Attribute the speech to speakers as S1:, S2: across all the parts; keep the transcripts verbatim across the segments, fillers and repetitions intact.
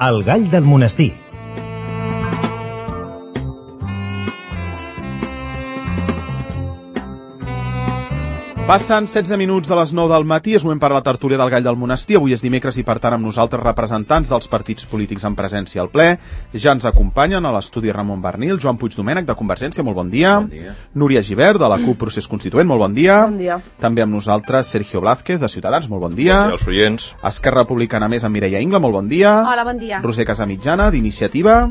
S1: El gall del monestir.
S2: Passen setze minuts de les nou del matí, és moment per a la tertúlia del Gall del Monestir. Avui és dimecres i, per tant, amb nosaltres representants dels partits polítics en presència al ple. Ja ens acompanyen a l'estudi Ramon Bernil, Joan Puigdomènech, de Convergència, molt bon dia.
S3: Bon dia.
S2: Núria Gibert, de la CUP Procés Constituent, molt bon dia.
S4: Bon dia.
S2: També amb nosaltres Sergio Blázquez, de Ciutadans, molt bon dia.
S3: Bon dia als oients.
S2: Esquerra Republicana Més, amb Mireia Ingla, molt bon dia.
S5: Hola, bon dia.
S2: Roser Casamitjana, d'Iniciativa.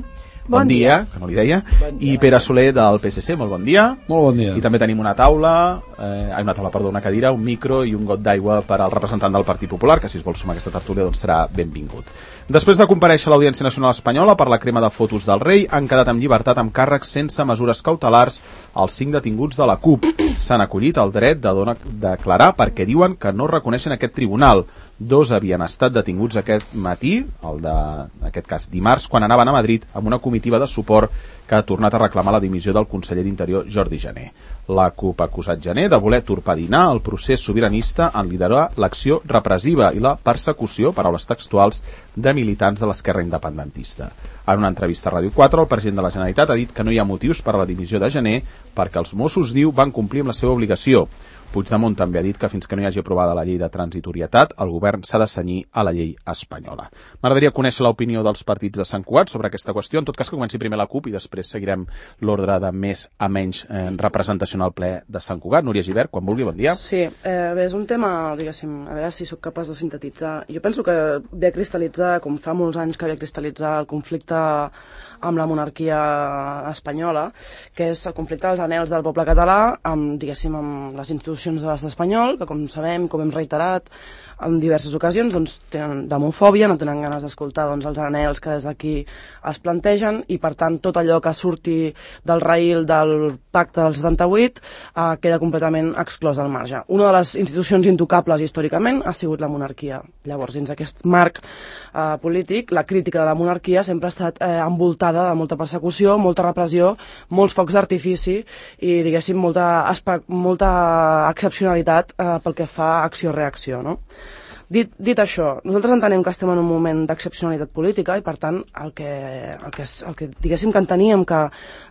S2: Bon, bon dia, dia, que no li deia. Bon dia, I Pere Soler, del P S C, molt bon dia.
S6: Molt bon dia.
S2: I també tenim una taula, eh, una taula, perdó, una cadira, un micro i un got d'aigua per al representant del Partit Popular, que si es vol sumar a aquesta tertúlia doncs serà benvingut. Després de comparèixer a l'Audiència Nacional Espanyola per la crema de fotos del rei, han quedat en llibertat amb càrrecs sense mesures cautelars els cinc detinguts de la CUP. S'han acollit el dret de donar, declarar perquè diuen que no reconeixen aquest tribunal. Dos havien estat detinguts aquest matí, el de, en aquest cas dimarts, quan anaven a Madrid amb una comitiva de suport que ha tornat a reclamar la dimissió del conseller d'Interior Jordi Jané. La CUP ha acusat Jané de voler torpedinar el procés sobiranista en liderar l'acció repressiva i la persecució, paraules textuals, de militants de l'esquerra independentista. En una entrevista a Ràdio quatre, el president de la Generalitat ha dit que no hi ha motius per a la dimissió de Jané perquè els Mossos, diu, van complir amb la seva obligació. Puigdemont també ha dit que fins que no hi hagi aprovada la llei de transitorietat, el govern s'ha de cenyir a la llei espanyola. M'agradaria conèixer l'opinió dels partits de Sant Cugat sobre aquesta qüestió. En tot cas, que comenci primer la CUP i després seguirem l'ordre de més a menys eh, representació al ple de Sant Cugat. Núria Gibert, quan vulgui, bon dia.
S4: Sí, eh, bé, és un tema, diguéssim, a veure si sóc capaç de sintetitzar. Jo penso que ve a cristal·litzar, com fa molts anys que ve a cristal·litzar el conflicte amb la monarquia espanyola, que és el conflicte dels anhels del poble català amb, diguéssim, amb les institucions de l'estat espanyol, que com sabem, com hem reiterat en diverses ocasions, doncs tenen demofòbia, no tenen ganes d'escoltar doncs, els anhels que des d'aquí es plantegen i, per tant, tot allò que surti del raïl del pacte del setanta-vuit eh, queda completament exclòs al marge. Una de les institucions intocables històricament ha sigut la monarquia. Llavors, dins aquest marc eh, polític, la crítica de la monarquia sempre ha estat eh, envoltada de molta persecució, molta repressió, molts focs d'artifici i, diguéssim, molta, molta excepcionalitat eh, pel que fa a acció-reacció, no? Dit, dit això, nosaltres entenem que estem en un moment d'excepcionalitat política i, per tant, el que, el que, el que diguéssim que enteníem que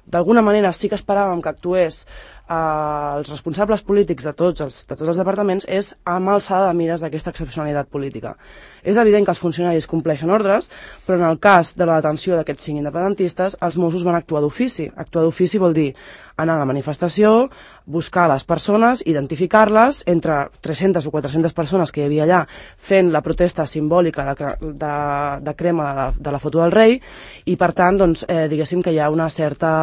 S4: d'alguna manera sí que esperàvem que actués eh, els responsables polítics de tots, els, de tots els departaments és amb alçada de mires d'aquesta excepcionalitat política. És evident que els funcionaris compleixen ordres, però en el cas de la detenció d'aquests cinc independentistes, els Mossos van actuar d'ofici. Actuar d'ofici vol dir anar a la manifestació, buscar les persones, identificar-les, entre tres-centes o quatre-centes persones que hi havia allà fent la protesta simbòlica de, de, de crema de la, de la foto del rei i, per tant, doncs, eh, diguéssim que hi ha una certa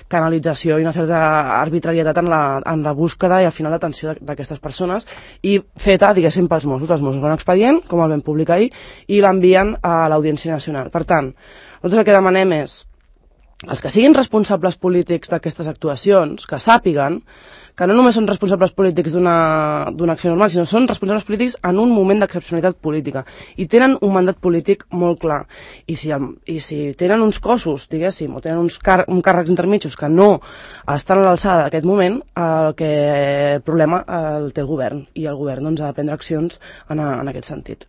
S4: canalització i una certa arbitrarietat en la, en la búsqueda i al final l'atenció d'aquestes persones i feta, diguéssim, pels Mossos. Els Mossos fan un expedient, com el vam publicar ahir, i l'envien a l'Audiència Nacional. Per tant, nosaltres el que demanem és els que siguin responsables polítics d'aquestes actuacions, que sàpiguen que no només són responsables polítics d'una d'una acció normal, sinó són responsables polítics en un moment d'excepcionalitat política i tenen un mandat polític molt clar. I si, i si tenen uns cossos, diguéssim, o tenen uns car un càrrecs intermitjos que no estan a l'alçada d'aquest moment, el, que, el problema el té el govern i el govern doncs, ha de prendre accions en, a, en aquest sentit.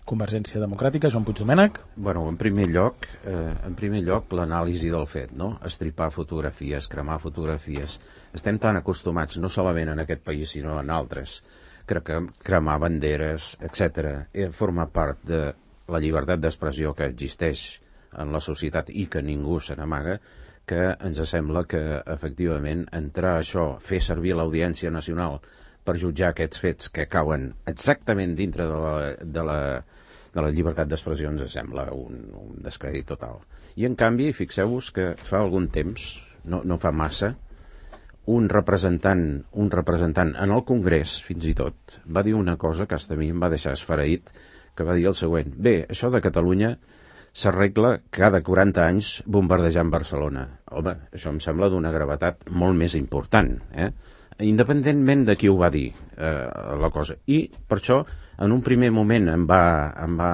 S2: Convergència Democràtica, Joan Puigdomènech.
S3: Bueno, en primer lloc, eh, en primer lloc l'anàlisi del fet, no? Estripar fotografies, cremar fotografies. Estem tan acostumats, no solament en aquest país, sinó en altres, crec que cremar banderes, etcètera, eh, forma part de la llibertat d'expressió que existeix en la societat i que ningú se n'amaga, que ens sembla que, efectivament, entrar a això, fer servir l'Audiència Nacional per jutjar aquests fets que cauen exactament dintre de la, de la, de la llibertat d'expressió ens sembla un, un descrèdit total. I en canvi, fixeu-vos que fa algun temps, no, no fa massa, un representant, un representant en el Congrés, fins i tot, va dir una cosa que hasta a mi em va deixar esfereït, que va dir el següent: bé, això de Catalunya s'arregla cada quaranta anys bombardejant Barcelona. Home, això em sembla d'una gravetat molt més important, eh? Independentment de qui ho va dir, eh, la cosa. I per això, en un primer moment em va, em va,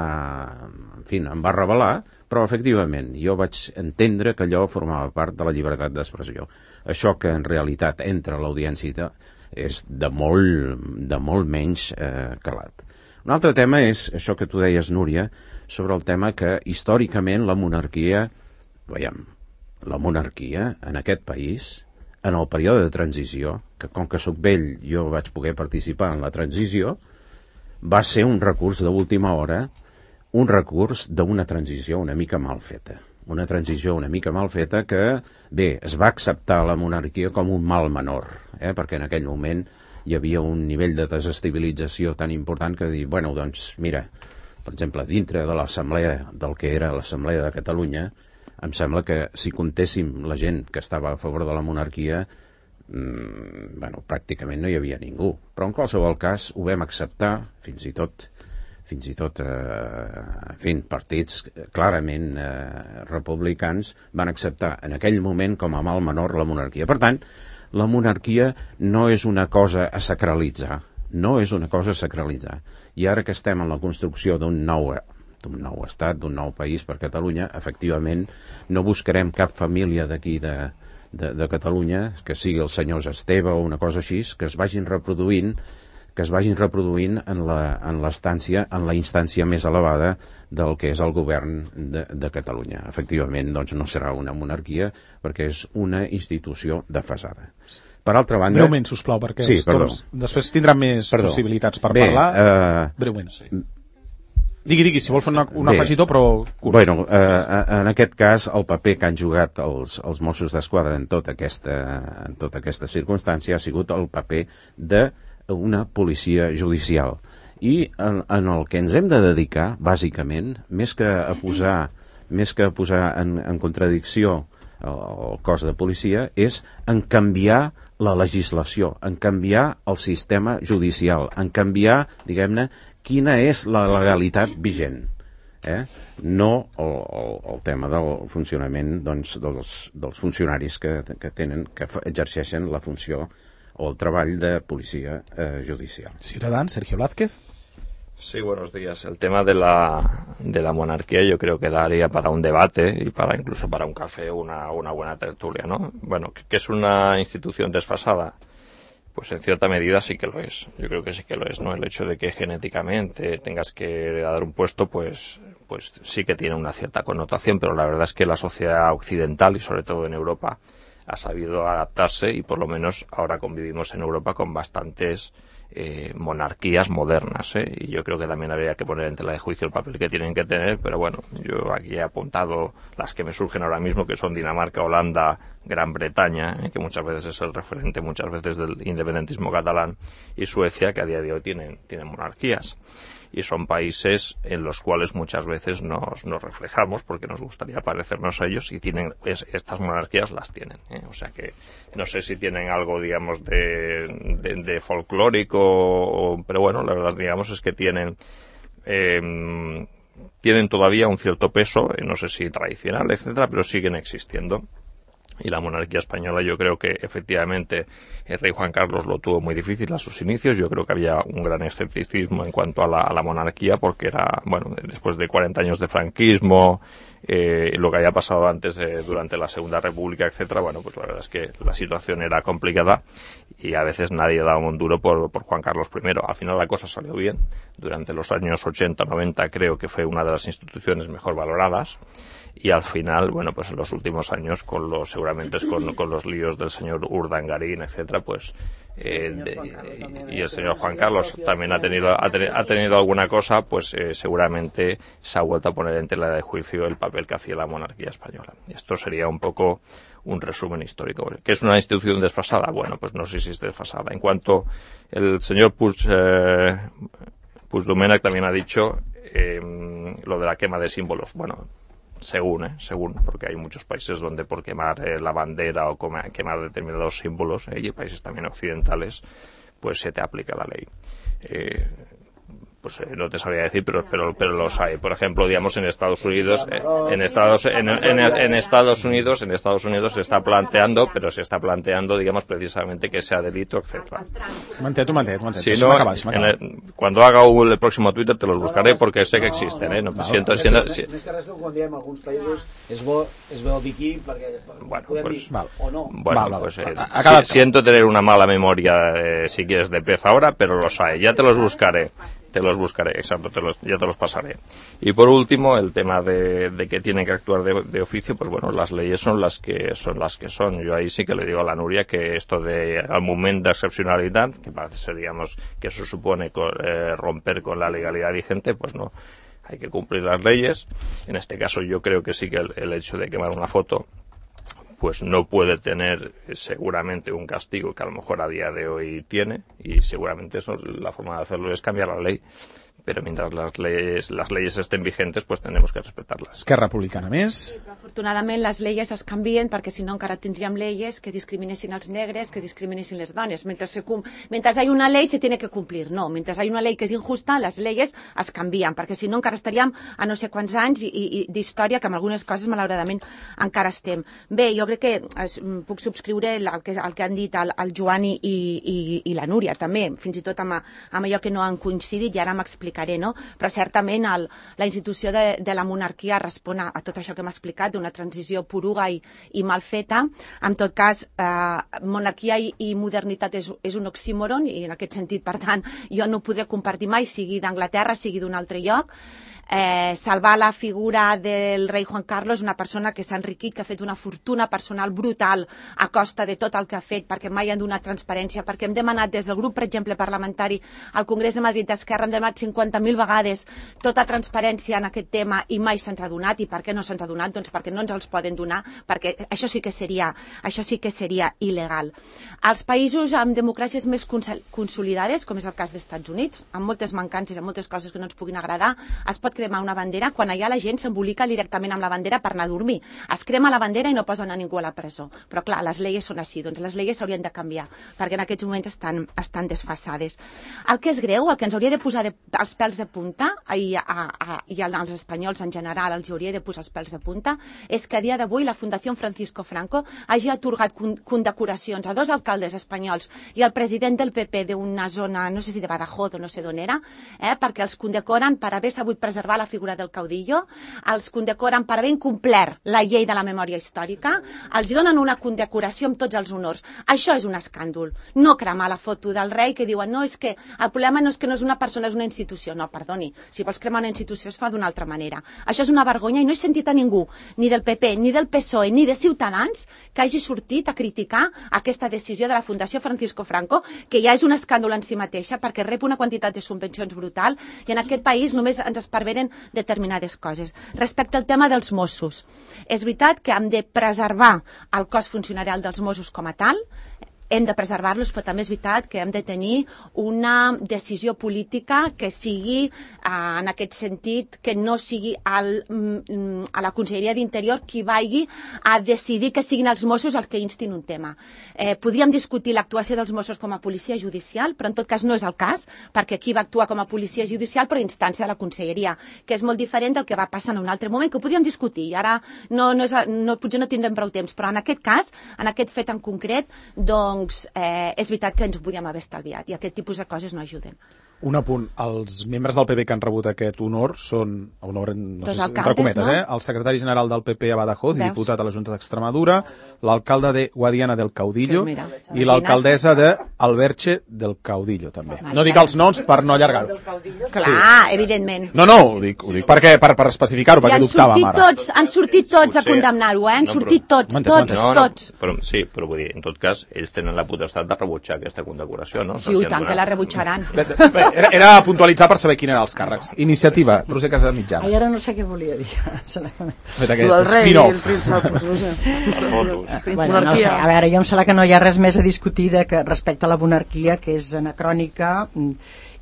S3: en fi, em va revelar, però efectivament jo vaig entendre que allò formava part de la llibertat d'expressió. Això que en realitat entra a l'audiència és de molt, de molt menys eh, calat. Un altre tema és això que tu deies, Núria, sobre el tema que històricament la monarquia, veiem, la monarquia en aquest país, en el període de transició, que com que sóc vell jo vaig poder participar en la transició, va ser un recurs d'última hora, un recurs d'una transició una mica mal feta. Una transició una mica mal feta que, bé, es va acceptar la monarquia com un mal menor, eh? Perquè en aquell moment hi havia un nivell de desestabilització tan important que dir, bueno, doncs, mira, per exemple, dintre de l'assemblea, del que era l'Assemblea de Catalunya, em sembla que si comptéssim la gent que estava a favor de la monarquia, mmm, bueno, pràcticament no hi havia ningú. Però en qualsevol cas ho vam acceptar, fins i tot, fins i tot, eh, en fi, partits clarament eh, republicans van acceptar en aquell moment com a mal menor la monarquia. Per tant, la monarquia no és una cosa a sacralitzar, no és una cosa a sacralitzar. I ara que estem en la construcció d'un nou, d'un nou estat, d'un nou país per Catalunya, efectivament no buscarem cap família d'aquí de, de, de Catalunya, que sigui els senyors Esteve o una cosa així, que es vagin reproduint que es vagin reproduint en la, en l'estància, en la instància més elevada del que és el govern de, de Catalunya. Efectivament, doncs no serà una monarquia perquè és una institució desfasada. Per altra banda...
S2: Breument, sisplau, perquè
S3: sí,
S2: els torns... després tindran més perdó. possibilitats per
S3: Bé,
S2: parlar.
S3: Uh...
S2: Breument, sí. Digui, digui, si vol fer una, un afegitó, però curt.
S3: Bueno, eh, en aquest cas, el paper que han jugat els, els Mossos d'Esquadra en tota aquesta, en tota aquesta circumstància ha sigut el paper de una policia judicial. I en, en el que ens hem de dedicar, bàsicament, més que a posar, més que a posar en, en contradicció el, el cos de policia, és en canviar la legislació, en canviar el sistema judicial, en canviar, diguem-ne, quina és la legalitat vigent. Eh? No el, el, el tema del funcionament doncs, dels, dels funcionaris que, que, tenen, que exerceixen la funció o el treball de policía eh, judicial.
S2: Ciudadán, Sergio Blázquez.
S1: Sí, buenos días. El tema de la, de la monarquía yo creo que daría para un debate y para incluso para un café una, una buena tertulia, ¿no? Bueno, ¿que es una institución desfasada? Pues en cierta medida sí que lo es. Yo creo que sí que lo es, ¿no? El hecho de que genéticamente tengas que dar un puesto, pues, pues sí que tiene una cierta connotación, pero la verdad es que la sociedad occidental y sobre todo en Europa ha sabido adaptarse y por lo menos ahora convivimos en Europa con bastantes eh, monarquías modernas, ¿eh? Y yo creo que también habría que poner en tela de juicio el papel que tienen que tener, pero bueno, yo aquí he apuntado las que me surgen ahora mismo, que son Dinamarca, Holanda, Gran Bretaña, ¿eh? Que muchas veces es el referente muchas veces del independentismo catalán, y Suecia, que a día de hoy tienen, tienen monarquías. Y son países en los cuales muchas veces nos, nos reflejamos porque nos gustaría parecernos a ellos y tienen es, estas monarquías las tienen, ¿eh? O sea que no sé si tienen algo, digamos, de, de, de folclórico, o, pero bueno, la verdad, digamos, es que tienen eh, tienen todavía un cierto peso, eh, no sé si tradicional, etcétera, pero siguen existiendo. Y la monarquía española, yo creo que efectivamente el rey Juan Carlos lo tuvo muy difícil a sus inicios. Yo creo que había un gran escepticismo en cuanto a la, a la monarquía, porque era, bueno, después de cuarenta años de franquismo, eh, lo que había pasado antes, de, durante la Segunda República, etcétera, bueno, pues la verdad es que la situación era complicada y a veces nadie daba un duro por, por Juan Carlos primero. Al final la cosa salió bien. Durante los años ochenta, noventa creo que fue una de las instituciones mejor valoradas. Y al final, bueno, pues en los últimos años, con los seguramente con, con los líos del señor Urdangarín, etcétera, pues eh, de, y el señor Juan Carlos también ha tenido ha, ten, ha tenido alguna cosa, pues eh, seguramente se ha vuelto a poner en tela de juicio el papel que hacía la monarquía española. Esto sería un poco un resumen histórico. ¿Qué es una institución desfasada? Bueno, pues no sé si es desfasada. En cuanto el señor Puig, eh, Puigdomènech también ha dicho eh, lo de la quema de símbolos. Bueno, según, ¿eh? según, porque hay muchos países donde por quemar eh, la bandera o quemar determinados símbolos, eh, y países también occidentales, pues se te aplica la ley. Eh, pues eh, no te sabría decir, pero pero pero los hay. Por ejemplo, digamos en Estados Unidos, eh, en Estados en, en, en Estados Unidos, en Estados Unidos se está planteando, pero se está planteando, digamos, precisamente que sea delito, etcétera.
S2: Manté, manté, manté.
S1: Si no, en el, cuando haga el, el próximo Twitter te los buscaré porque sé que existen, eh. No, no, siento,
S5: no,
S1: siento,
S5: més,
S1: si...
S5: més que res que quan diem alguns països és bo, és bo dir aquí perquè
S1: bueno,
S5: podem
S1: pues,
S5: dir
S2: val.
S5: o no.
S1: Bueno,
S2: val, val.
S1: pues eh,
S2: si,
S1: siento tener una mala memoria, eh, si quieres, de pez ahora, pero los hay. Ya te los buscaré. te los buscaré, exacto, te los, ya te los pasaré. Y por último, el tema de, de que tienen que actuar de, de oficio, pues bueno, las leyes son las que son las que son. Yo ahí sí que le digo a la Núria que esto de al momento de excepcionalidad, que parece ser, digamos, que eso supone con, eh, romper con la legalidad vigente, pues no. Hay que cumplir las leyes. En este caso yo creo que sí que el, el hecho de quemar una foto pues no puede tener seguramente un castigo que a lo mejor a día de hoy tiene, y seguramente eso, la forma de hacerlo es cambiar la ley, pero mientras las leyes, las leyes estén vigentes, pues tenemos que respetarlas.
S2: Esquerra Republicana més?
S6: Sí, però afortunadament les lleis es canvien, perquè si no encara tindríem lleis que discriminessin els negres, que discriminessin les dones. Mentre, se, mentre hay una ley se tiene que cumplir. No, mentre hay una ley que és injusta, les lleis es canvien, perquè si no encara estaríem a no sé quants anys i, i, d'història, que amb algunes coses malauradament encara estem. Bé, jo crec que es, puc subscriure el que, el que han dit el, el Joan i, i, i la Núria també, fins i tot amb, amb allò que no han coincidit, i ara m'explicaré. No? Però certament el, la institució de, de la monarquia respon a, a tot això que m'ha explicat, d'una transició poruga i, i mal feta. En tot cas, eh, monarquia i, i modernitat és, és un oxímoron, i en aquest sentit, per tant, jo no ho podré compartir mai, sigui d'Anglaterra, sigui d'un altre lloc. Eh, salvar la figura del rei Juan Carlos, una persona que s'ha enriquit, que ha fet una fortuna personal brutal a costa de tot el que ha fet, perquè mai han donat transparència, perquè hem demanat des del grup, per exemple, parlamentari al Congrés de Madrid d'Esquerra, hem demanat cinquanta mil vegades tota transparència en aquest tema i mai se'ns ha donat. I per què no se'ns ha donat? Doncs perquè no ens els poden donar, perquè això sí que seria, això sí que seria il·legal. Els països amb democràcies més consolidades, com és el cas dels Estats Units, amb moltes mancances, amb moltes coses que no ens puguin agradar, es pot cremar una bandera quan allà la gent s'embolica directament amb la bandera per anar a dormir. Es crema la bandera i no posen a ningú a la presó. Però clar, les lleis són així, doncs les lleis s'haurien de canviar, perquè en aquests moments estan, estan desfasades. El que és greu, el que ens hauria de posar de, els pèls de punta, i, a, a, i als espanyols en general els hauria de posar els pèls de punta, és que a dia d'avui la Fundació Francisco Franco hagi atorgat condecoracions a dos alcaldes espanyols i al president del P P d'una zona, no sé si de Badajoz o no sé d'on era, eh, perquè els condecoren per haver sabut preservar la figura del caudillo, els condecoren per haver incomplert la llei de la memòria històrica, els donen una condecoració amb tots els honors. Això és un escàndol. No cremar la foto del rei que diuen no, és que el problema no és que no és una persona, és una institució. No, perdoni, si vols cremar una institució es fa d'una altra manera. Això és una vergonya i no he sentit a ningú, ni del P P, ni del P S O E, ni de Ciutadans, que hagi sortit a criticar aquesta decisió de la Fundació Francisco Franco, que ja és un escàndol en si mateixa perquè rep una quantitat de subvencions brutal i en aquest país només ens esparveren determinades coses. Respecte al tema dels Mossos, és veritat que hem de preservar el cos funcionarial dels Mossos com a tal, hem de preservar-los, però també és veritat que hem de tenir una decisió política que sigui, eh, en aquest sentit, que no sigui al, a la Conselleria d'Interior qui vagi a decidir que siguin els Mossos els que instin un tema. Eh, podríem discutir l'actuació dels Mossos com a policia judicial, però en tot cas no és el cas, perquè aquí va actuar com a policia judicial però a instància de la Conselleria, que és molt diferent del que va passar en un altre moment, que ho podríem discutir, i ara no, no és, no, potser no tindrem prou temps, però en aquest cas, en aquest fet en concret, doncs doncs eh, és veritat que ens ho podíem haver estalviat i aquest tipus de coses no ajuden.
S2: Un apunt, els membres del P P que han rebut aquest honor són, honor no
S6: Dos
S2: sé,
S6: alcaldes,
S2: entre cometes,
S6: no?
S2: eh? El secretari general del P P a Badajoz i
S6: Veus?
S2: diputat a la Junta d'Extremadura, l'alcalde de Guadiana del Caudillo
S6: Que mira,
S2: i l'alcaldessa de Alberche del Caudillo, també.
S6: Vale,
S2: No dic els noms per no allargar-ho.
S6: Clar, evidentment.
S2: No, no, ho dic, ho dic perquè, per, per especificar-ho,
S6: I
S2: perquè
S6: han
S2: dubtàvem
S6: sortit
S2: ara.
S6: tots, han sortit tots a
S1: Potser-
S6: condemnar-ho, eh? Han
S1: No,
S6: sortit
S1: però-
S6: tots,
S2: M'entens,
S6: tots,
S1: No, no,
S6: tots.
S1: però, sí, però vull dir, en tot cas, ells tenen la potestat de rebutjar aquesta condecoració, no?
S6: Sí, i tant que la rebutjaran.
S2: Bé, bé, Era, era puntualitzar per saber quin eren els càrrecs. Iniciativa, Roser Casamitjana.
S7: Ai, ara no sé què volia dir.
S2: Fet aquest
S4: El rei i
S2: spin-off.
S4: el príncep, no sé.
S1: Les fotos.
S7: Bueno, no sé, a veure, jo em sembla que no hi ha res més a discutir de que respecte a la monarquia, que és anacrònica,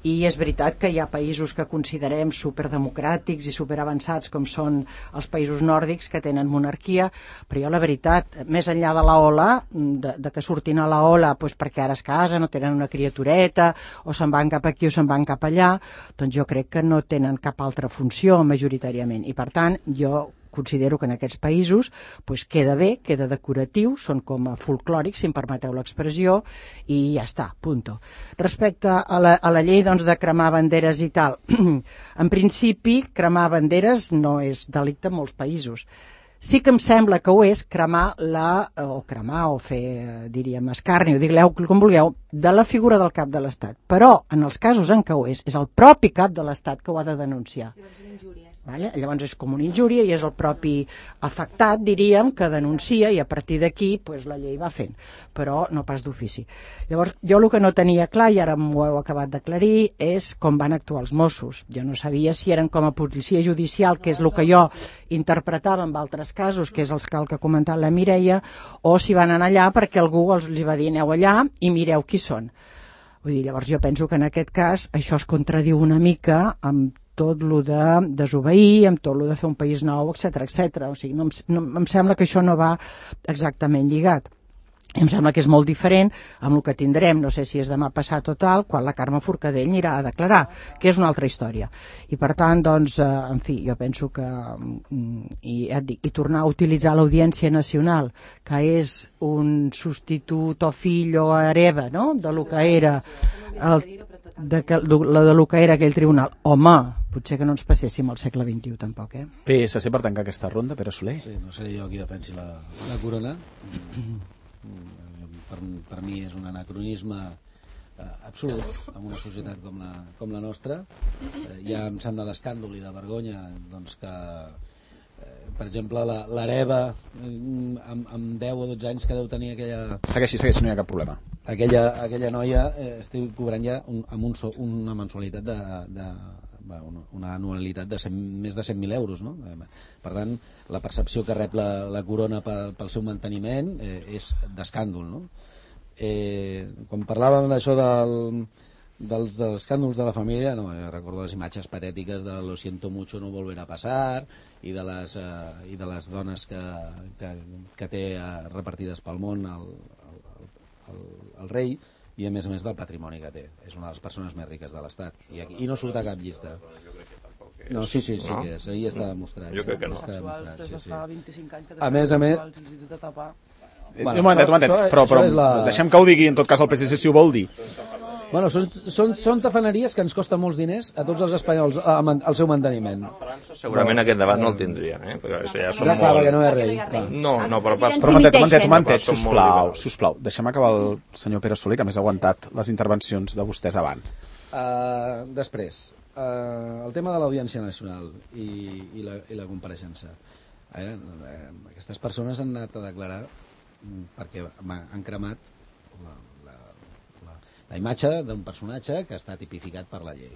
S7: i és veritat que hi ha països que considerem superdemocràtics i superavançats, com són els països nòrdics que tenen monarquia, però jo la veritat, més enllà de la ola, de, de que surtin a la ola doncs perquè ara es casen o tenen una criatureta o se'n van cap aquí o se'n van cap allà, doncs jo crec que no tenen cap altra funció majoritàriament, i per tant jo considero que en aquests països pues, queda bé, queda decoratiu, són com a folclòrics, si em permeteu l'expressió, i ja està, punto. Respecte a la, a la llei doncs, de cremar banderes i tal, en principi cremar banderes no és delicte en molts països. Sí que em sembla que ho és cremar la, o cremar o fer, diríem, escarni, o digueu com vulgueu, de la figura del cap de l'Estat. Però, en els casos en què ho és, és el propi cap de l'Estat que ho ha de denunciar. Vale? Llavors és com una injúria i és el propi afectat, diríem, que denuncia i a partir d'aquí pues, la llei va fent, però no pas d'ofici. Llavors, jo el que no tenia clar, i ara m'ho heu acabat d'aclarir, és com van actuar els Mossos. Jo no sabia si eren com a policia judicial, que és el que jo interpretava en altres casos, que és el que, el que ha comentat la Mireia, o si van anar allà perquè algú els li va dir aneu allà i mireu qui són. Vull dir, llavors jo penso que en aquest cas això es contradiu una mica amb tot lo de desobeir, amb tot lo de fer un país nou, etcètera, etcètera. O sigui, no, no, em sembla que això no va exactament lligat. I em sembla que és molt diferent amb el que tindrem, no sé si és demà passat o tal, quan la Carme Forcadell anirà a declarar, que és una altra història. I per tant, doncs, eh, en fi, jo penso que i, i tornar a utilitzar l'Audiència Nacional, que és un substitut o fill o hereva, no?, de lo que era el, de, que, de, de lo que era aquell tribunal. Home, potser que no ens passéssim al segle vint-i-u tampoc, eh?
S2: P S C per tancar aquesta ronda, Pere Soler.
S5: Sí, no seré jo qui defensi la, la corona. Per, per mi és un anacronisme eh, absolut en una societat com la, com la nostra. Eh, ja em sembla d'escàndol i de vergonya doncs, que, eh, per exemple, l'hereva eh, amb, amb deu o dotze anys que deu tenir aquella...
S2: Segueixi, segueixi, no hi ha cap problema.
S5: Aquella, aquella noia eh, estic cobrant ja un, amb un so, una mensualitat de... de una anualitat de cent, més de cent mil euros, no? Per tant, la percepció que rep la, la corona pel, pel seu manteniment eh, és d'escàndol, no? Eh, quan parlàvem d'això del, dels, dels escàndols de la família, no, recordo les imatges patètiques de lo siento mucho, no volverá a pasar i de les, eh, i de les dones que, que, que té eh, repartides pel món el, el, el, el rei, i a més a més del patrimoni que té. És una de les persones més riques de l'Estat. I, aquí, i no surt a cap llista. No, sí, sí, sí, no? Que és. Ahir està demostrat.
S1: Jo crec que no.
S5: Està demostrat, sí, sí.
S4: Fa vint-i-cinc anys que
S5: a més a més...
S4: de tapar.
S2: Bueno, un momentet, un momentet, però, però la... deixem que ho digui en tot cas el P S C si ho vol dir.
S5: Bueno, són, són, són tafaneries que ens costen molts diners a tots els espanyols al seu manteniment.
S1: A França segurament aquest debat no el tindrien, eh? Perquè això ja són
S5: clar, clar,
S1: molt...
S5: perquè no és rei.
S1: No, no, però pas...
S2: Però un momentet, un momentet, un momentet, sisplau, sisplau. Deixem acabar el senyor Pere Soler, que més ha aguantat les intervencions de vostès abans.
S5: Uh, després, uh, el tema de l'Audiència Nacional i, i, la, i la compareixença. Eh, eh, aquestes persones han anat a declarar perquè han cremat la, la, la, la imatge d'un personatge que està tipificat per la llei.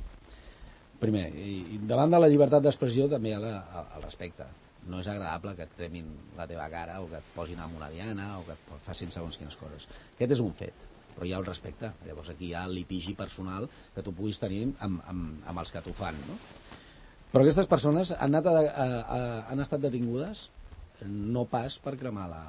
S5: Primer, i davant de la llibertat d'expressió també hi ha la, el respecte. No és agradable que et cremin la teva cara o que et posin amb una diana o que et facin segons quines coses. Aquest és un fet, però hi ha el respecte. Llavors aquí hi ha el litigi personal que tu puguis tenir amb, amb, amb els que t'ho fan, no? Però aquestes persones han, anat a, a, a, han estat detingudes no pas per cremar la,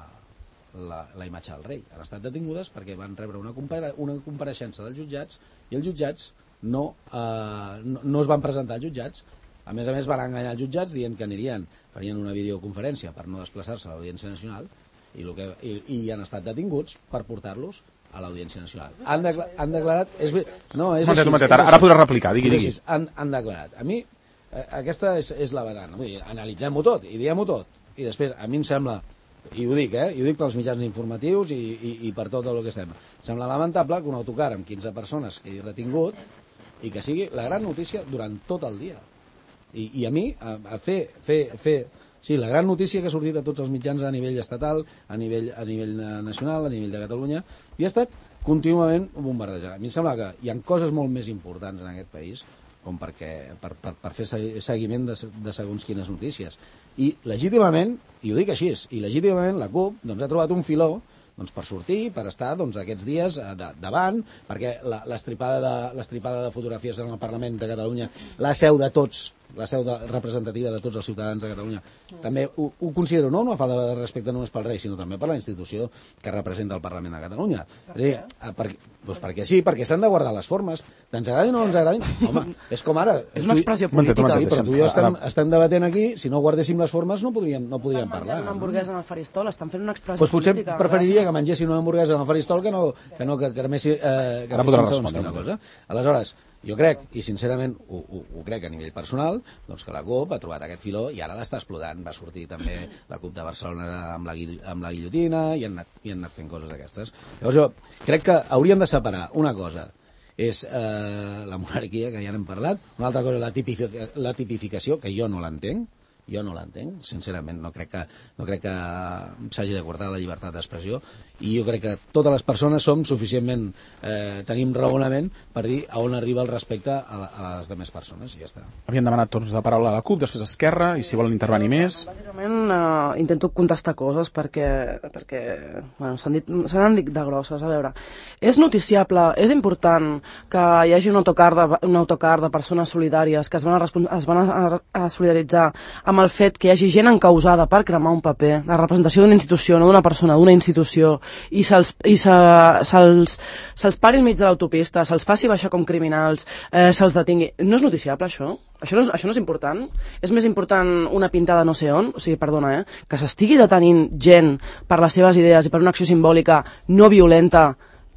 S5: la, la imatge del rei. Han estat detingudes perquè van rebre una, compara, una compareixença dels jutjats i els jutjats no, eh, no, no es van presentar als jutjats. A més a més van enganyar els jutjats dient que anirien, farien una videoconferència per no desplaçar-se a l'Audiència Nacional i, lo que, i, i han estat detinguts per portar-los a l'Audiència Nacional. Han, decla, han declarat... És, no, és
S2: momentet,
S5: així,
S2: momentet,
S5: és
S2: ara, ara podrà replicar, digui, digui.
S5: Han, han declarat. A mi, eh, aquesta és, és la vegana. Vull dir, analitzem-ho tot i diguem-ho tot. I després, a mi em sembla, i ho dic, eh, i ho dic pels mitjans informatius i, i, i per tot el que estem, em sembla lamentable que un autocar amb quinze persones quedi retingut i que sigui la gran notícia durant tot el dia. I, i a mi, a, a fer, fer, fer... Sí, la gran notícia que ha sortit a tots els mitjans a nivell estatal, a nivell, a nivell nacional, a nivell de Catalunya, i ha estat contínuament bombardejada. A mi em sembla que hi ha coses molt més importants en aquest país com perquè, per, per, per fer seguiment de, de segons quines notícies. I legítimament, i ho dic així, i legítimament la CUP doncs, ha trobat un filó doncs, per sortir, per estar doncs, aquests dies de, davant, perquè l'estripada de, l'estripada de fotografies en el Parlament de Catalunya, la seu de tots, la seu de, representativa de tots els ciutadans de Catalunya, també ho, ho considero no una falta de respecte només pel rei, sinó també per la institució que representa el Parlament de Catalunya. Per és a dir, per, doncs perquè sí, perquè s'han de guardar les formes, ens agradin o no ens agradin. Home, és com ara...
S4: És una expressió política.
S5: Sí, però tu i jo estem, estem debatent aquí, si no guardéssim les formes no podríem, no podríem parlar.
S4: Estan menjant una hamburguesa en el faristol, estan fent una expressió
S5: pues potser
S4: política.
S5: Potser preferiria que mengessin una hamburguesa en el faristol que no que, no, que cremessin eh, que fessin segons quina cosa. Aleshores, Jo crec, i sincerament ho, ho, ho crec a nivell personal, doncs que la CUP ha trobat aquest filó i ara l'està explotant. Va sortir també la CUP de Barcelona amb la, amb la guillotina i han anat, i han anat fent coses d'aquestes. Llavors jo crec que hauríem de separar una cosa és eh, la monarquia, que ja n'hem parlat, una altra cosa la, tipific la tipificació, que jo no l'entenc, jo no l'entenc, sincerament, no crec que, no crec que s'hagi de cortar la llibertat d'expressió, i jo crec que totes les persones som suficientment, eh, tenim raonament per dir a on arriba el respecte a, a les demés persones, i ja està.
S2: Havien demanat torns de paraula a la CUP, després Esquerra, i si volen intervenir més...
S4: Bàsicament eh, intento contestar coses perquè, perquè bueno, s'han dit, s'han dit de grosses, a veure. És noticiable, és important que hi hagi un autocar de, un autocar de persones solidàries que es van a, es van a, a solidaritzar amb el fet que hi hagi gent encausada per cremar un paper, la representació d'una institució, no d'una persona, d'una institució, i se'ls se, se se pari al mig de l'autopista, se'ls faci baixar com criminals, eh, se'ls detingui. No és noticiable, això? Això no és, això no és important? És més important una pintada no sé on? O sigui, perdona, eh? Que s'estigui detenint gent per les seves idees i per una acció simbòlica no violenta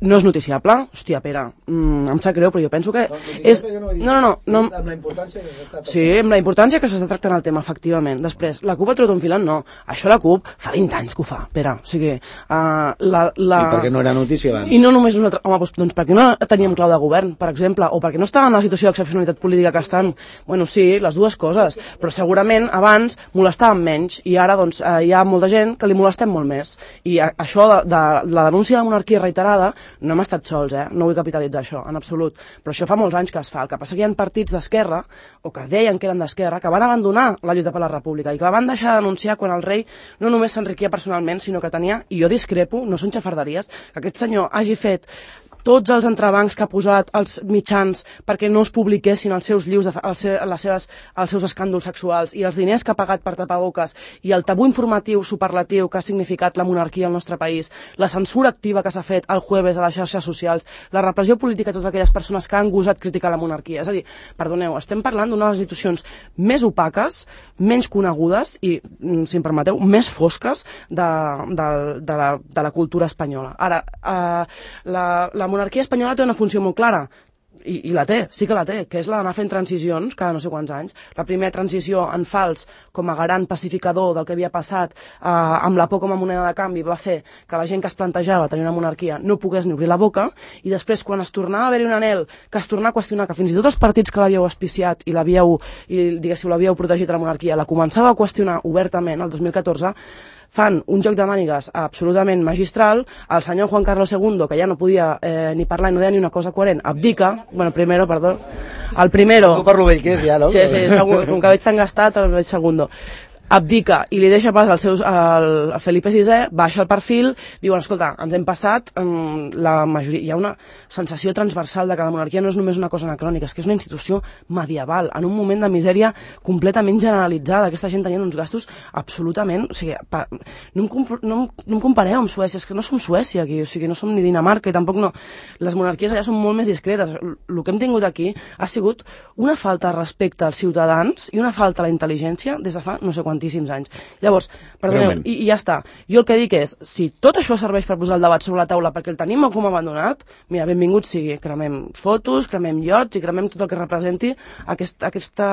S4: no és noticiable? Hòstia, Pere, mm, em sap greu, però jo penso que
S5: no,
S4: és...
S5: No,
S4: no, no, no, no...
S5: Amb la importància que s'està tractant.
S4: Sí, amb la importància que s'està tractant el tema, efectivament. Després, la CUP ha trobat un filant? No. Això la CUP fa vint anys que ho fa, Pere. O sigui, uh, la, la...
S5: I per què no era notícia abans?
S4: I no només nosaltres... Home, doncs, doncs perquè no teníem clau de govern, per exemple, o perquè no estava en la situació d'excepcionalitat política que estan. Bueno, sí, les dues coses, però segurament abans molestàvem menys i ara doncs, uh, hi ha molta gent que li molestem molt més. I a, això de, de la denúncia de la monarquia reiterada no hem estat sols, eh? No vull capitalitzar això, en absolut, però això fa molts anys que es fa. El que passa que hi ha partits d'esquerra, o que deien que eren d'esquerra, que van abandonar la lluita per la república i que van deixar de denunciar quan el rei no només s'enriquia personalment, sinó que tenia, i jo discrepo, no són xafarderies, que aquest senyor hagi fet tots els entrebancs que ha posat els mitjans perquè no es publiquessin els seus llius, de, els, les seves, els seus escàndols sexuals i els diners que ha pagat per tapaboques i el tabú informatiu superlatiu que ha significat la monarquia al nostre país, la censura activa que s'ha fet el jueves a les xarxes socials, la repressió política a totes aquelles persones que han gosat criticar la monarquia. És a dir, perdoneu, estem parlant d'una de les institucions més opaques, menys conegudes i, si em permeteu, més fosques de, de, de, la, de la cultura espanyola. Ara, eh, la, la La monarquia espanyola té una funció molt clara, i, i la té, sí que la té, que és la d'anar fent transicions cada no sé quants anys. La primera transició en fals, com a garant pacificador del que havia passat eh, amb la por com a moneda de canvi, va fer que la gent que es plantejava tenir una monarquia no pogués ni obrir la boca, i després, quan es tornava a haver-hi un anhel, que es tornava a qüestionar, que fins i tot els partits que l'havíeu auspiciat i l'havíeu, i diguéssiu, l'havíeu protegit de la monarquia, la començava a qüestionar obertament el dos mil catorze, fan un joc de mànigues absolutament magistral. El senyor Juan Carlos segundo, que ja no podia eh, ni parlar i no deia ni una cosa coherent, abdica, bueno, primero, perdó, el primero...
S5: No parlo vell que és ja, no?
S4: Sí, sí, segon, com que veig tan gastat, el veig segundo. Abdica i li deixa pas als seus, al, al Felipe sisè, baixa el perfil, diuen, escolta, ens hem passat, um, la majoria, hi ha una sensació transversal de que la monarquia no és només una cosa anacrònica, és que és una institució medieval, en un moment de misèria completament generalitzada. Aquesta gent tenia uns gastos absolutament... O sigui, pa, no, em no, no em compareu amb Suècia, és que no som Suècia aquí, o sigui, no som ni Dinamarca, i tampoc no... Les monarquies allà són molt més discretes. El que hem tingut aquí ha sigut una falta de respecte als ciutadans i una falta a la intel·ligència des de fa no sé quant tantíssims anys. Llavors, perdoneu, i, i ja està. Jo el que dic és, si tot això serveix per posar el debat sobre la taula perquè el tenim com abandonat, mira, benvingut sigui. Cremem fotos, cremem iots i cremem tot el que representi aquest, aquesta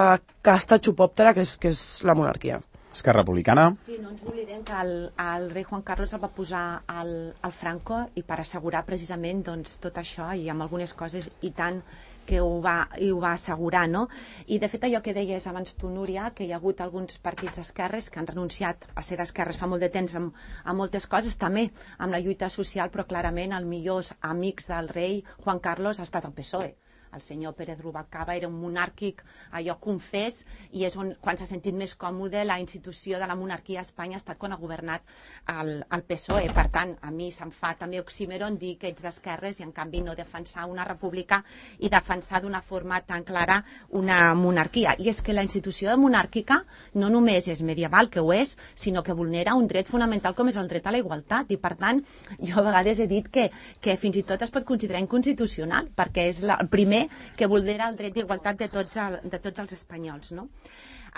S4: casta xupòptera que és, que és la monarquia.
S2: Esquerra Republicana.
S6: Sí, no ens oblidem que el, el rei Juan Carlos el va posar al, al Franco i per assegurar precisament doncs, tot això i amb algunes coses i tant que ho va, i ho va assegurar, no? I de fet allò que deies abans tu, Núria, que hi ha hagut alguns partits esquerres que han renunciat a ser d'esquerres fa molt de temps amb, amb moltes coses, també amb la lluita social, però clarament els millors amics del rei Juan Carlos ha estat el P S O E. El senyor Pérez Rubalcaba era un monàrquic, allò confés, i és on, quan s'ha sentit més còmode la institució de la monarquia a Espanya ha estat quan ha governat el, el P S O E. Per tant, a mi se'm fa també oxímeron dir que ets d'esquerres i en canvi no defensar una república i defensar d'una forma tan clara una monarquia. I és que la institució monàrquica no només és medieval, que ho és, sinó que vulnera un dret fonamental com és el dret a la igualtat. I per tant, jo a vegades he dit que, que fins i tot es pot considerar inconstitucional, perquè és la, el primer que vulnera el dret d'igualtat de, tots el, de tots els espanyols, no?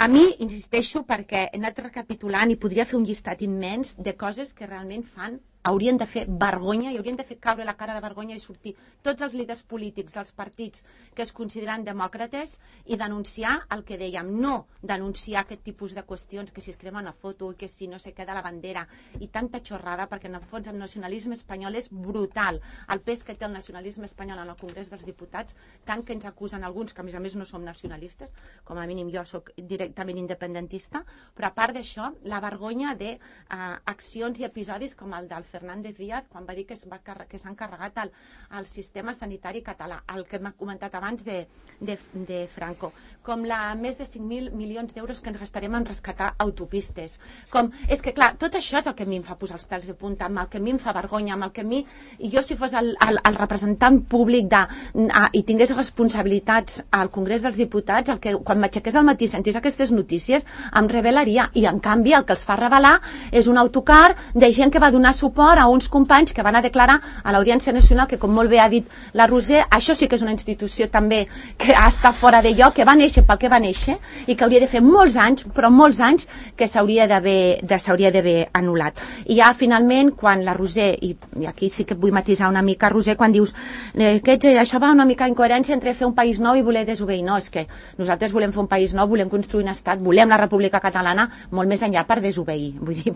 S6: A mi, insisteixo, perquè he anat recapitulant i podria fer un llistat immens de coses que realment fan haurien de fer vergonya i haurien de fer caure la cara de vergonya i sortir tots els líders polítics dels partits que es consideren demòcrates i denunciar el que dèiem, no denunciar aquest tipus de qüestions, que si es crema una foto i que si no se queda la bandera i tanta xorrada, perquè en el fons el nacionalisme espanyol és brutal, el pes que té el nacionalisme espanyol en el Congrés dels Diputats, tant que ens acusen alguns, que a més a més no som nacionalistes, com a mínim jo sóc directament independentista, però a part d'això, la vergonya d'accions i episodis com el del Fernández Díaz, quan va dir que s'han carregat el, el sistema sanitari català, el que m'ha comentat abans de, de, de Franco, com la més de cinc mil milions d'euros que ens gastarem en rescatar autopistes. Com, és que clar, tot això és el que a mi em fa posar els pèls de punta, amb el que a mi em fa vergonya, amb el que a mi, i jo si fos el, el, el representant públic de, a, i tingués responsabilitats al Congrés dels Diputats, el que quan m'aixequés al matí sentís aquestes notícies em revelaria, i en canvi el que els fa revelar és un autocar de gent que va donar suport a uns companys que van a declarar a l'Audiència Nacional, que com molt bé ha dit la Roser, això sí que és una institució també que està fora de lloc, que va néixer pel que va néixer i que hauria de fer molts anys, però molts anys que s'hauria d'haver de, s'hauria d'haver anul·lat. I ja finalment quan la Roser, i, i aquí sí que vull matisar una mica, Roser, quan dius eh, que això va una mica incoherència entre fer un país nou i voler desobeir. No, és que nosaltres volem fer un país nou, volem construir un estat, volem la República Catalana molt més enllà per desobeir. Vull dir,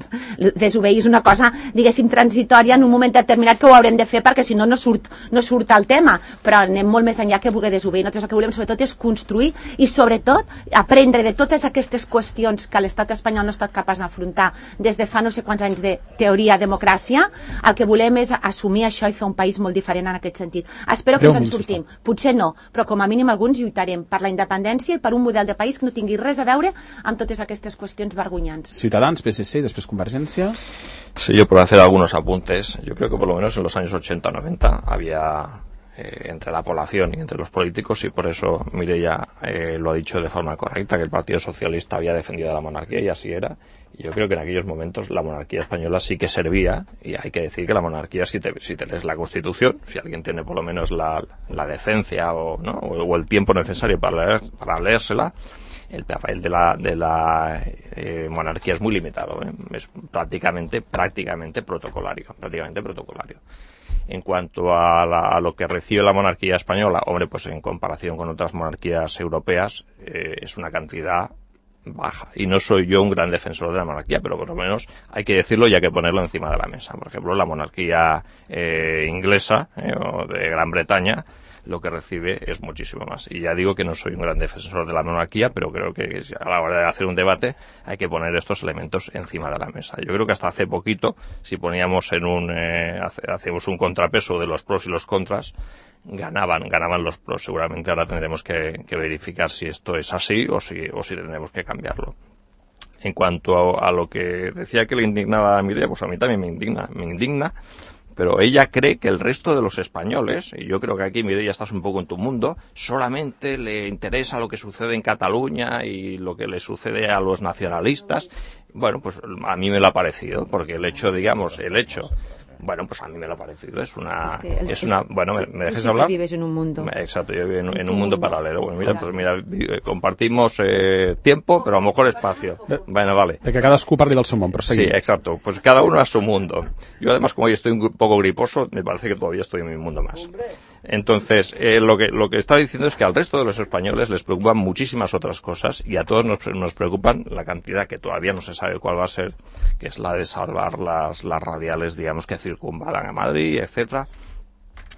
S6: desobeir és una cosa, diguéssim, transitòria en un moment determinat que ho haurem de fer perquè si no no surt, no surt el tema, però anem molt més enllà que voler desobeir. Nosaltres el que volem sobretot és construir i sobretot aprendre de totes aquestes qüestions que l'estat espanyol no ha estat capaç d'afrontar des de fa no sé quants anys de teoria democràcia. El que volem és assumir això i fer un país molt diferent en aquest sentit. Espero que ens en sortim. Potser no, però com a mínim alguns lluitarem per la independència i per un model de país que no tingui res a veure amb totes aquestes qüestions vergonyants.
S2: Ciutadans, P S C y después Convergencia.
S1: Sí, yo por hacer algunos apuntes. Yo creo que por lo menos en los años ochenta o noventa había eh, entre la población y entre los políticos, y por eso Mireia eh, lo ha dicho de forma correcta, que el Partido Socialista había defendido la monarquía, y así era. Y yo creo que en aquellos momentos la monarquía española sí que servía, y hay que decir que la monarquía, si te, si te lees la Constitución, si alguien tiene por lo menos la, la decencia o, ¿no? o, o el tiempo necesario para, leer, para leérsela, el papel de la, de la eh, monarquía es muy limitado, ¿eh? Es prácticamente, prácticamente protocolario, prácticamente protocolario. En cuanto a, la, a lo que recibe la monarquía española, hombre, pues en comparación con otras monarquías europeas, eh, es una cantidad baja. Y no soy yo un gran defensor de la monarquía, pero por lo menos hay que decirlo y hay que ponerlo encima de la mesa. Por ejemplo, la monarquía eh, inglesa eh, o de Gran Bretaña, lo que recibe es muchísimo más. Y ya digo que no soy un gran defensor de la monarquía, pero creo que a la hora de hacer un debate hay que poner estos elementos encima de la mesa. Yo creo que hasta hace poquito, si poníamos en un, eh, hacemos un contrapeso de los pros y los contras, ganaban, ganaban los pros. Seguramente ahora tendremos que, que verificar si esto es así o si, o si tendremos que cambiarlo. En cuanto a, a lo que decía que le indignaba a Mireia, pues a mí también me indigna, me indigna, pero ella cree que el resto de los españoles, y yo creo que aquí, Mireia, estás un poco en tu mundo, solamente le interesa lo que sucede en Cataluña y lo que le sucede a los nacionalistas. Bueno, pues a mí me lo ha parecido, porque el hecho, digamos, el hecho... Bueno, pues a mí me lo ha parecido. Es una... Es, que el, es una bueno, ¿me, me dejes
S6: sí
S1: hablar?
S6: Que vives en un mundo.
S1: Exacto, yo vivo en, en, en un mundo, mundo paralelo. Bueno, mira, pues mira, compartimos eh, tiempo, pero a lo mejor espacio. Bueno, vale.
S2: De que cadascú parli del seu món, però
S1: sí, exacto. Pues cada uno a su mundo. Yo además, como hoy estoy un poco griposo, me parece que todavía estoy en mi mundo más. Entonces, eh, lo que lo que está diciendo es que al resto de los españoles les preocupan muchísimas otras cosas, y a todos nos, nos preocupan la cantidad que todavía no se sabe cuál va a ser, que es la de salvar las, las radiales, digamos, que circunvalan a Madrid, etcétera,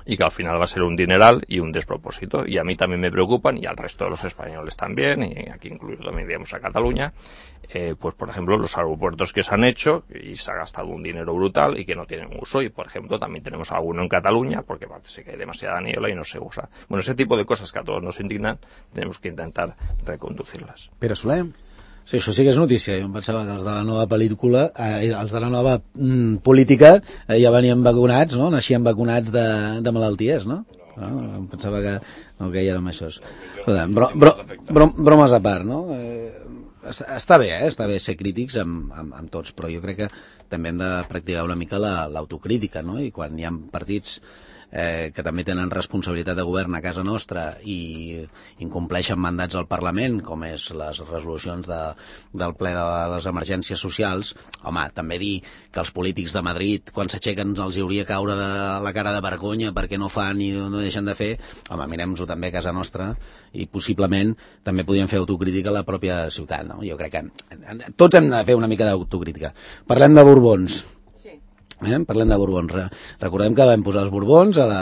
S1: y que al final va a ser un dineral y un despropósito. Y a mí también me preocupan, y al resto de los españoles también, y aquí incluido también, digamos, a Cataluña, eh, pues por ejemplo los aeropuertos que se han hecho y se ha gastado un dinero brutal y que no tienen uso, y por ejemplo también tenemos alguno en Cataluña porque parece que hay demasiada niebla y no se usa. Bueno, ese tipo de cosas que a todos nos indignan tenemos que intentar reconducirlas.
S2: Pere Soler.
S5: Sí, això sí que és notícia. Jo em pensava que els de la nova pel·lícula, eh, els de la nova mm, política, eh, ja venien vacunats, no? Naixien vacunats de, de malalties, no? no? Em pensava que, no, que ja érem això. Bro, bro, bro, bromes a part, no? Eh, està bé, eh? Està bé ser crítics amb, amb, amb tots, però jo crec que també hem de practicar una mica la, l'autocrítica, no? I quan hi ha partits eh, que també tenen responsabilitat de govern a casa nostra i incompleixen mandats al Parlament, com és les resolucions de, del ple de les emergències socials, home, també dir que els polítics de Madrid, quan s'aixequen els hauria caure de la cara de vergonya perquè no fan i no deixen de fer, home, mirem-nos-ho també a casa nostra i possiblement també podríem fer autocrítica a la pròpia ciutat, no? Jo crec que tots hem de fer una mica d'autocrítica. Parlem de Borbons. Eh? Parlem de Borbons. Recordem que vam posar els Borbons a la,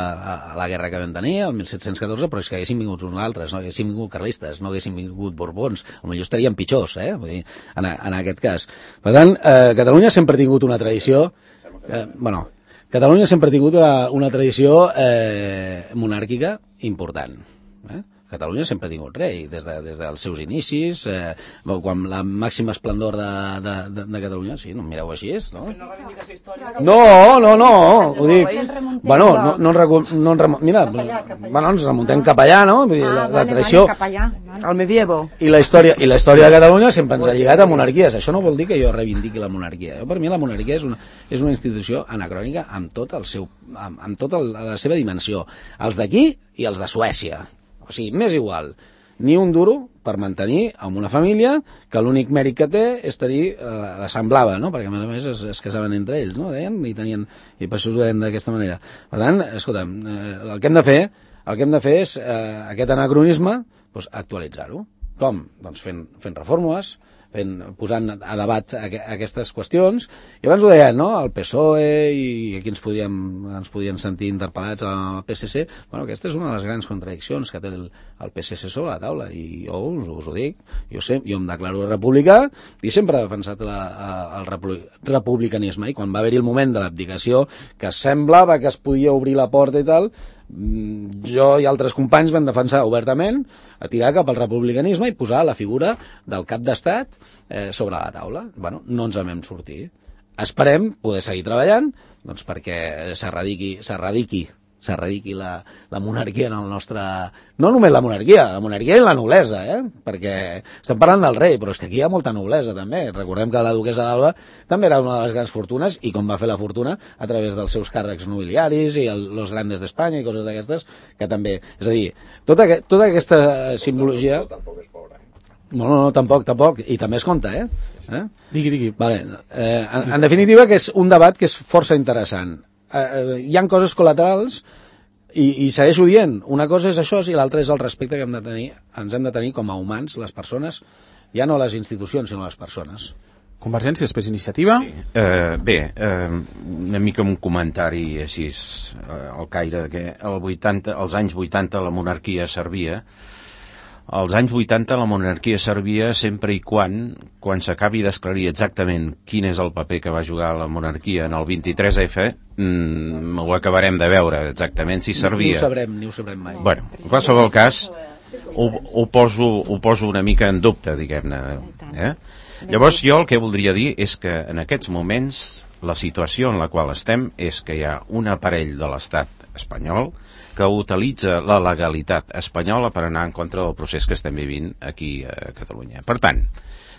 S5: a la guerra que vam tenir, el mil set-cents catorze, però és que haguéssim vingut uns altres, no haguéssim vingut carlistes, no haguéssim vingut Borbons. Potser estaríem pitjors, eh? Vull dir, en, en aquest cas. Per tant, eh, Catalunya sempre ha tingut una tradició... Eh, bueno, Catalunya sempre ha tingut una, una tradició eh, monàrquica important. Eh? Catalunya sempre ha tingut rei, des, de, des dels seus inicis, eh, quan la màxima esplendor de, de, de, de Catalunya, sí, no em mireu així, no? No, no, no, ho dic. Bueno, no, no, no en mira, bueno, ens remuntem cap allà, no? Vull dir, la, la tradició...
S4: Al medievo.
S5: I la història i la història de Catalunya sempre ens ha lligat a monarquies. Això no vol dir que jo reivindiqui la monarquia. Per mi la monarquia és una, és una institució anacrònica amb tot el seu, amb, amb tota la seva dimensió. Els d'aquí i els de Suècia. O sigui, m'és igual, ni un duro per mantenir amb una família que l'únic mèrit que té és tenir, eh, la semblava, no? Perquè a més a més es, es casaven entre ells, no? Deien, i, tenien, i per això us ho deien d'aquesta manera. Per tant, escolta'm, eh, el que hem de fer, el que hem de fer és eh, aquest anacronisme, doncs, actualitzar-ho. Com? Doncs fent, fent reformes, fent, posant a debat aquestes qüestions, i abans ho deien, no? El P S O E i aquí ens podíem, ens podien sentir interpel·lats al P S C. Bueno, aquesta és una de les grans contradiccions que té el, el P S C sobre la taula, i jo us, us ho dic, jo, sé, jo em declaro republicà i sempre he defensat la, el republicanisme, i quan va haver-hi el moment de l'abdicació, que semblava que es podia obrir la porta i tal, jo i altres companys vam defensar obertament a tirar cap al republicanisme i posar la figura del cap d'estat eh, sobre la taula. Bueno, no ens en vam sortir. Esperem poder seguir treballant, doncs, perquè s'erradiqui, s'erradiqui s'erradiqui la, la monarquia en el nostre... No només la monarquia, la monarquia i la noblesa, eh? Perquè estem parlant del rei, però és que aquí hi ha molta noblesa, també. Recordem que la duquesa d'Alba també era una de les grans fortunes, i com va fer la fortuna a través dels seus càrrecs nobiliaris i el, los grandes d'Espanya i coses d'aquestes, que també... És a dir, tota, tota aquesta simbologia... No, no, no, tampoc, tampoc, i també es compta, eh? eh?
S2: Digui, digui. Vale.
S5: Eh, en, en definitiva, que és un debat que és força interessant. Uh, hi han coses col·laterals i, i segueixo dient, una cosa és això i l'altra és el respecte que hem de tenir, ens hem de tenir com a humans, les persones, ja no les institucions sinó les persones.
S2: Convergència, després Iniciativa.
S3: Sí. Uh, bé, uh, una mica un comentari així uh, al caire que el vuitanta, als anys vuitanta la monarquia servia. Als anys vuitanta la monarquia servia sempre i quan, quan s'acabi d'esclarir exactament quin és el paper que va jugar la monarquia en el vint-i-tres efa, mmm, ho acabarem de veure exactament si servia.
S5: Ni ho sabrem, ni ho sabrem mai.
S3: Bueno, en qualsevol cas, ho, ho, poso, ho poso una mica en dubte, diguem-ne. Eh? Llavors jo el que voldria dir és que en aquests moments la situació en la qual estem és que hi ha un aparell de l'estat espanyol que utilitza la legalitat espanyola per anar en contra del procés que estem vivint aquí a Catalunya. Per tant,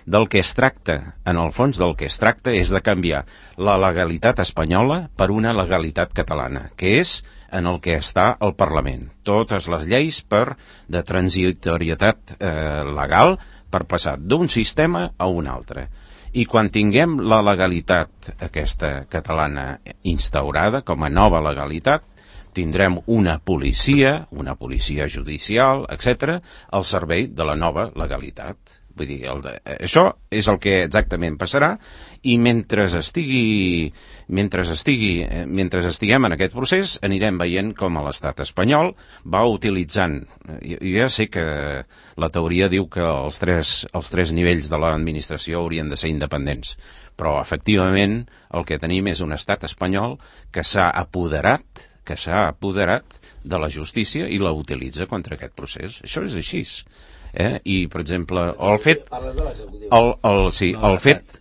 S3: del que es tracta, en el fons del que es tracta és de canviar la legalitat espanyola per una legalitat catalana, que és en el que està el Parlament. Totes les lleis per de transitorietat eh, legal per passar d'un sistema a un altre. I quan tinguem la legalitat aquesta catalana instaurada com a nova legalitat, tindrem una policia, una policia judicial, etcètera, al servei de la nova legalitat. Vull dir, el de, això és el que exactament passarà, i mentre estigui, mentre estigui, mentre estiguem en aquest procés, anirem veient com l'estat espanyol va utilitzant, jo ja sé que la teoria diu que els tres, els tres nivells de l'administració haurien de ser independents, però efectivament el que tenim és un estat espanyol que s'ha apoderat que s'ha apoderat de la justícia i la utilitza contra aquest procés. Això és així. Eh? I, per exemple, el fet... El, el, sí, el fet...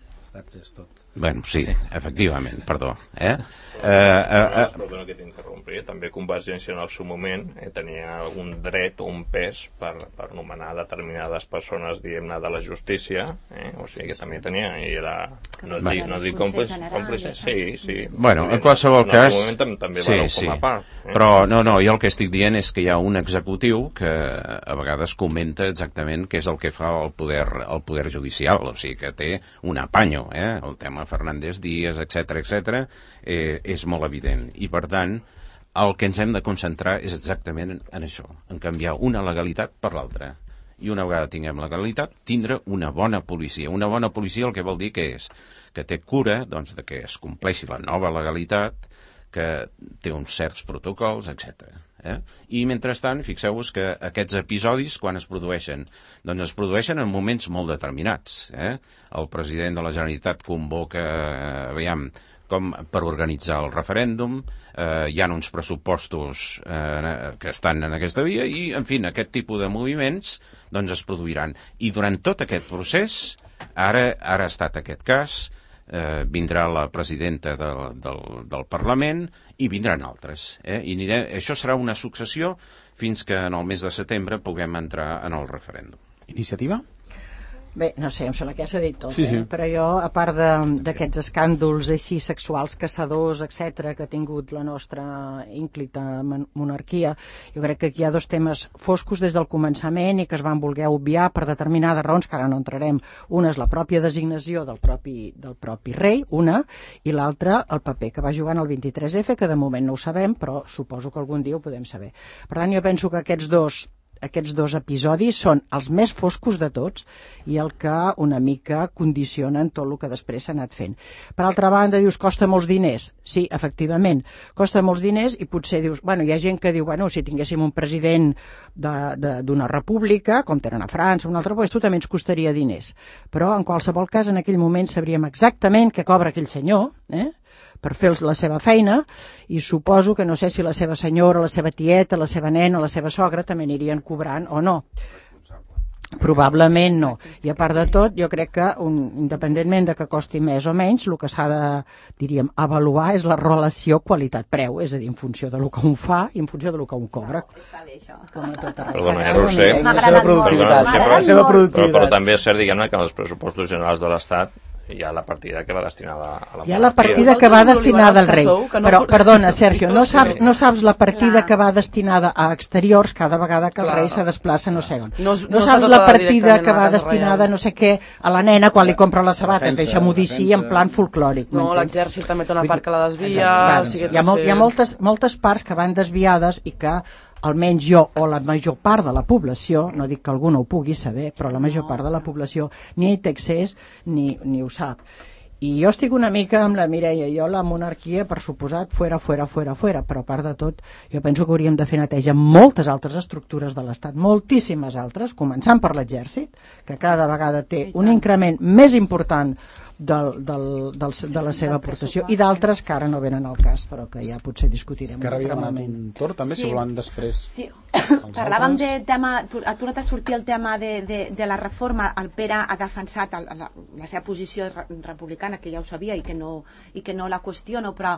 S3: Bueno, sí, sí, efectivament, perdó. Eh?
S1: Eh, eh, eh, perdona que t'interrompi, també Convergència en el seu moment eh, tenia algun dret o un pes per, per nomenar determinades persones, diguem-ne, de la justícia, eh? O sigui que també tenia, i era, no, dic, no dic còmplice, còmplice, sí, sí.
S3: Bueno, en qualsevol
S1: en
S3: cas...
S1: En el moment tam també
S3: sí,
S1: va
S3: sí.
S1: com a part. Eh?
S3: Però, no, no, jo el que estic dient és que hi ha un executiu que a vegades comenta exactament què és el que fa el poder, el poder judicial, o sigui que té un apanyo, eh? El tema Fernández Díaz, etcètera, etcètera, eh, és molt evident. I, per tant, el que ens hem de concentrar és exactament en això, en canviar una legalitat per l'altra. I una vegada tinguem legalitat, tindre una bona policia. Una bona policia el que vol dir que és que té cura doncs, de que es compleixi la nova legalitat, que té uns certs protocols, etcètera. Eh? I mentrestant, fixeu-vos que aquests episodis, quan es produeixen, doncs es produeixen en moments molt determinats. Eh? El president de la Generalitat convoca, eh, aviam, com per organitzar el referèndum, eh, hi ha uns pressupostos eh, que estan en aquesta via i, en fi, aquest tipus de moviments doncs es produiran. I durant tot aquest procés, ara, ara ha estat aquest cas, eh, vindrà la presidenta del, del, del Parlament i vindran altres. Eh? I aniré, això serà una successió fins que en el mes de setembre puguem entrar en el referèndum.
S2: Iniciativa?
S7: Bé, no sé, em sembla que ja s'ha dit tot,
S2: sí, sí.
S7: Eh? Però jo, a part d'aquests escàndols així sexuals, caçadors, etcètera, que ha tingut la nostra ínclita monarquia, jo crec que aquí hi ha dos temes foscos des del començament i que es van voler obviar per determinades raons, que ara no entrarem. Una és la pròpia designació del propi, del propi rei, una, i l'altra el paper que va jugar en el vint-i-tres efe, que de moment no ho sabem, però suposo que algun dia ho podem saber. Per tant, jo penso que aquests dos aquests dos episodis són els més foscos de tots i el que una mica condicionen tot el que després s'ha anat fent. Per altra banda, dius, costa molts diners. Sí, efectivament, costa molts diners i potser dius, bueno, hi ha gent que diu, bueno, si tinguéssim un president d'una república, com tenen a França, un altre, doncs tu també ens costaria diners. Però, en qualsevol cas, en aquell moment sabríem exactament què cobra aquell senyor, eh?, per fer la seva feina, i suposo que no sé si la seva senyora, la seva tieta, la seva nena, la seva sogra també anirien cobrant o no. Probablement no. I a part de tot, jo crec que un, independentment de que costi més o menys, el que s'ha de, diríem, avaluar és la relació qualitat-preu, és a dir, en funció del que un fa i en funció del que un cobra.
S6: Està bé, això.
S7: Com a tot arreu.
S1: Perdona, eh, Roser.
S7: La seva productivitat.
S1: Perdona,
S7: La seva productivitat.
S1: Però, però també és cert, diguem-ne, que en els pressupostos generals de l'Estat hi ha la partida que va destinada a la monarquia.
S7: Hi ha la partida que va destinada al rei. Però, perdona, Sergio, no saps, no saps la partida que va destinada a exteriors cada vegada que el rei se desplaça no sé on. No saps la partida que va destinada no sé què a la nena quan li compra les sabates, deixa-m'ho dir així, en plan folclòric.
S4: No, l'exèrcit també té una part que la desvia.
S7: Hi ha moltes parts que van desviades i que almenys jo o la major part de la població, no dic que algú no ho pugui saber, però la major part de la població ni hi té accés ni, ni ho sap. I jo estic una mica amb la Mireia, jo la monarquia, per suposat, fuera, fuera, fuera, fuera, però a part de tot, jo penso que hauríem de fer neteja en moltes altres estructures de l'Estat, moltíssimes altres, començant per l'exèrcit, que cada vegada té un increment més important del, del, del, de la seva aportació, i d'altres que ara no venen al cas, però que ja potser discutirem.
S2: Esquerra havia demanat un torn, també, sí. Si volen després...
S6: Sí. Parlàvem de tema, ha tornat a sortir el tema de, de, de la reforma. El Pere ha defensat el, la, la seva posició republicana, que ja ho sabia i que no, i que no la qüestiono, però,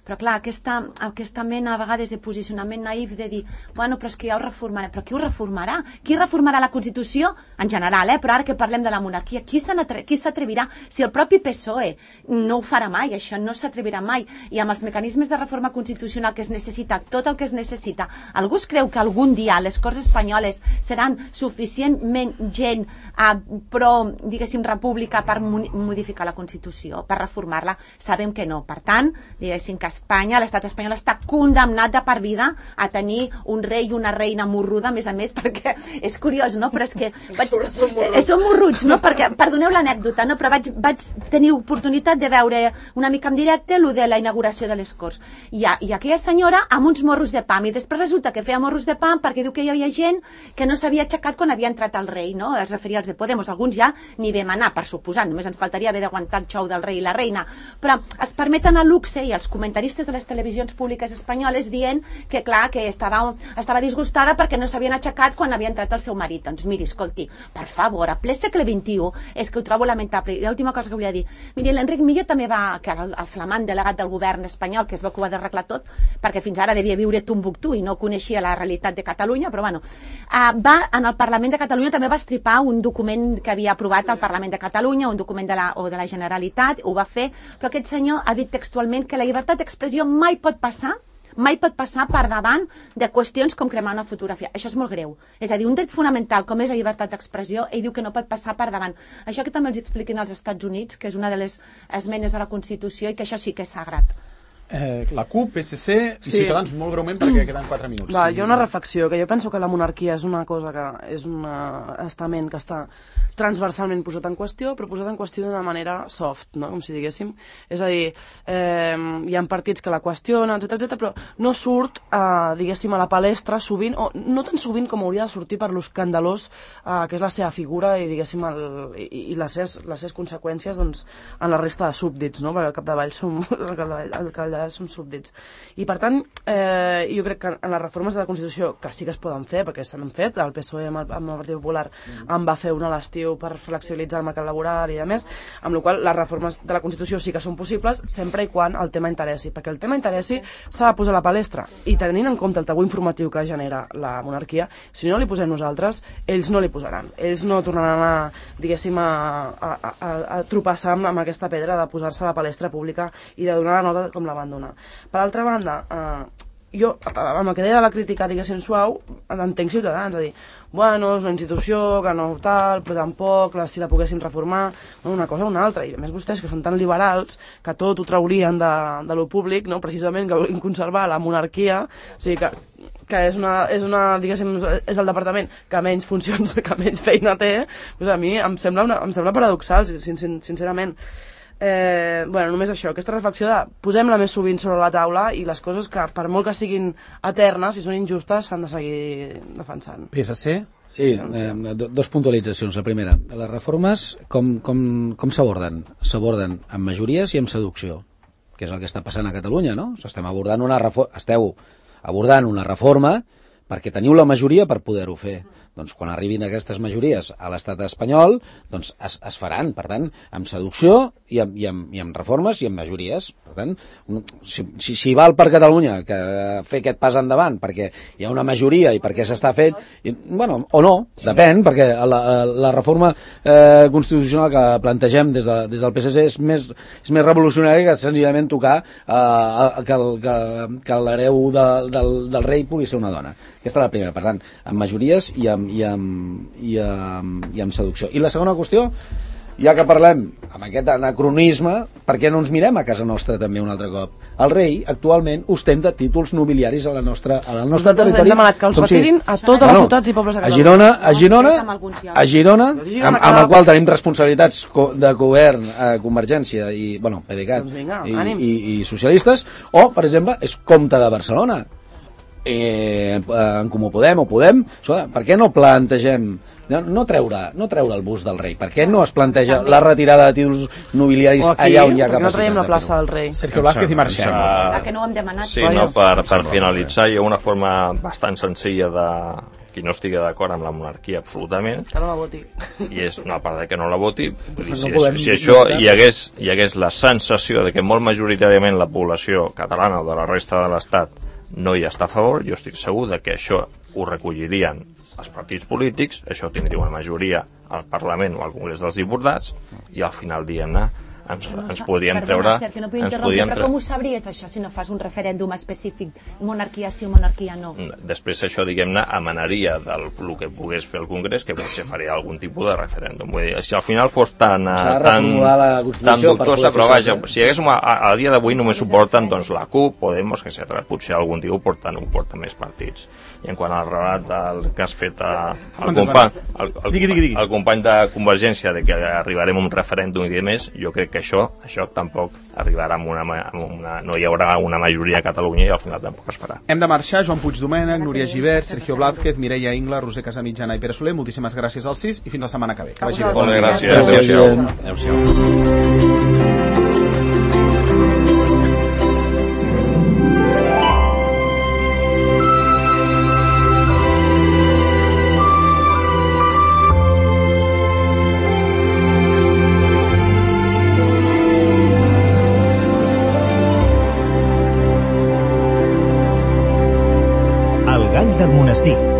S6: però clar, aquesta, aquesta mena a vegades de posicionament naïf de dir, bueno, però és que ja ho reformarà. Però qui ho reformarà? Qui reformarà la Constitució? En general, eh? Però ara que parlem de la monarquia, qui s'atrevirà? Si el propi P S O E no ho farà mai, això no s'atrevirà mai, i amb els mecanismes de reforma constitucional que es necessita, tot el que es necessita, algú es creu que algun dia les Corts Espanyoles seran suficientment gent eh, pro, diguéssim, república per modificar la Constitució, per reformar-la? Sabem que no. Per tant, diguéssim que Espanya, l'estat espanyol, està condemnat de per vida a tenir un rei i una reina morruda, a més a més, perquè és curiós, no? Però és que vaig, eh, són morruts, no? Perquè, perdoneu l'anècdota, no? Però vaig, vaig tenir oportunitat de veure una mica en directe el de la inauguració de les Corts. I, i aquella senyora amb uns morros de pam, i després resulta que feia morros de pam endavant perquè diu que hi havia gent que no s'havia aixecat quan havia entrat el rei, no? Es referia als de Podemos, alguns ja ni vam anar, per suposar, només ens faltaria haver d'aguantar el xou del rei i la reina, però es permeten a luxe i els comentaristes de les televisions públiques espanyoles dient que clar, que estava, estava disgustada perquè no s'havien aixecat quan havia entrat el seu marit. Doncs miri, escolti, per favor, a ple segle vint-i-u, és que ho trobo lamentable. I l'última cosa que volia dir, miri, l'Enric Millo també va, que era el, el flamant delegat del govern espanyol, que es veu que ho ha d'arreglar tot, perquè fins ara devia viure a Tombuctú i no coneixia la realitat de Catalunya, però bueno, uh, va, en el Parlament de Catalunya també va estripar un document que havia aprovat el Parlament de Catalunya, un document de la, o de la Generalitat, ho va fer, però aquest senyor ha dit textualment que la llibertat d'expressió mai pot passar mai pot passar per davant de qüestions com cremar una fotografia. Això és molt greu. És a dir, un dret fonamental com és la llibertat d'expressió, ell diu que no pot passar per davant. Això que també els expliquen als Estats Units, que és una de les esmenes de la Constitució i que això sí que és sagrat.
S2: Eh, la CUP, P S C i sí. Ciutadans, molt breument perquè queden quatre minuts.
S4: Va, hi ha una reflexió, que jo penso que la monarquia és una cosa que és un estament que està transversalment posat en qüestió, però posat en qüestió d'una manera soft, no? Com si diguéssim. És a dir, eh, hi ha partits que la qüestionen, etcètera, etcètera, però no surt, eh, diguéssim, a la palestra sovint, o no tan sovint com hauria de sortir per l'escandalós eh, que és la seva figura i, diguéssim, el, i, i les, seves, les seves conseqüències doncs, en la resta de súbdits, no? Perquè al capdavall som, al capdavall, al capdavall som súbdits. I per tant, eh, jo crec que en les reformes de la Constitució, que sí que es poden fer, perquè s'han fet, el P S O E amb el, amb el Partit Popular mm. en va fer una a l'estiu per flexibilitzar el mercat laboral i a més, amb la qual les reformes de la Constitució sí que són possibles sempre i quan el tema interessi, perquè el tema interessi s'ha de posar a la palestra, i tenint en compte el tabú informatiu que genera la monarquia, si no li posem nosaltres, ells no li posaran, ells no tornaran a, diguéssim, a, a, a, a tropassar amb, amb aquesta pedra de posar-se a la palestra pública i de donar la nota com la van donar. Per altra banda, eh, jo, amb el que deia de la crítica, diguéssim, suau, entenc Ciutadans, a dir, bueno, és una institució que no tal, però tampoc, la, si la poguéssim reformar, una cosa o una altra, i a més vostès, que són tan liberals, que tot ho traurien de, de lo públic, no? Precisament que volen conservar la monarquia, o sigui que que és una, és una, diguéssim, és el departament que menys funcions, que menys feina té, doncs a mi em sembla, una, em sembla paradoxal, sin, sin, sincerament. Eh, bueno, només això, aquesta reflexió de posem-la més sovint sobre la taula i les coses que, per molt que siguin eternes, si són injustes, s'han de seguir defensant.
S2: P S C?
S5: Sí, eh, dos puntualitzacions. La primera, les reformes com, com, com s'aborden? S'aborden amb majories i amb seducció, que és el que està passant a Catalunya, no? Estem abordant una reforma, esteu abordant una reforma perquè teniu la majoria per poder-ho fer. Doncs quan arribin aquestes majories a l'estat espanyol, doncs es, es faran, per tant, amb seducció i amb, i, amb, i amb reformes i amb majories. Per tant, si, si, si val per Catalunya que fer aquest pas endavant perquè hi ha una majoria i perquè s'està fent, i, bueno, o no, depèn, perquè la, la reforma eh, constitucional que plantegem des, de, des del P S C és més, és més revolucionària que senzillament tocar eh, que, el, que, que l'hereu de, del, del rei pugui ser una dona. Aquesta és la primera, per tant, amb majories i amb, i amb, i amb, i amb seducció. I la segona qüestió, ja que parlem amb aquest anacronisme, per què no ens mirem a casa nostra també un altre cop? El rei actualment ostenta títols nobiliaris a la nostra, a la nostra territori.
S4: Hem demanat que els retirin a totes
S5: bueno,
S4: les ciutats i pobles de
S5: Catalunya. A Girona, a Girona, a Girona, amb, amb el qual tenim responsabilitats de govern, eh, Convergència i, bueno, P D C A T
S4: doncs vinga,
S5: i, i, i socialistes, o, per exemple, és comte de Barcelona. Eh, en Comú Podem o Podem, per què no plantegem no, no, treure, no treure el bust del rei? Per què no es planteja també la retirada de títols nobiliaris aquí, allà on hi ha capacitat?
S4: No traiem la plaça del rei.
S2: Sergio Vázquez i marxem.
S6: La que no ho hem demanat.
S1: Sí, no, per, per finalitzar, hi ha una forma bastant senzilla de qui no estigui d'acord amb la monarquia absolutament,
S4: que no la voti,
S1: i és una part de que no la voti, vull dir, si, no si això hi hagués, hi hagués la sensació de que molt majoritàriament la població catalana o de la resta de l'Estat no hi està a favor, jo estic segur de que això ho recollirien els partits polítics, això tindria una majoria al Parlament o al Congrés dels Diputats, i al final, diguem-ne, ens, no, ens podríem
S6: perdona,
S1: treure...
S6: Sergio, no ens podríem però com ho sabries, això, si no fas un referèndum específic, monarquia sí o monarquia no?
S1: Després això, diguem-ne, emanaria del el que pogués fer el Congrés, que potser faria algun tipus de referèndum. Vull dir, si al final fos tan, tan, tan dubtosa, però vaja, si haguéssim, a, a dia d'avui només ho porten doncs, la CUP, Podemos, etcètera. Potser algun dia ho porten, ho porten més partits. I en quant al relat del que has fet a, al company, el, el, el company de Convergència de que arribarem a un referèndum i demés, jo crec que que això, això tampoc arribarà amb una, amb una... no hi haurà una majoria a Catalunya i al final tampoc es farà.
S2: Hem de marxar. Joan Puigdomènec, Núria Gibert, Sergio Blázquez, Mireia Ingla, Roser Casamitjana i Pere Soler, moltíssimes gràcies als sis i fins la setmana que ve. Que vagi bé.
S1: Molt bé, gràcies. Adéu-siau. Adéu-siau.
S8: El Gall del Monestir.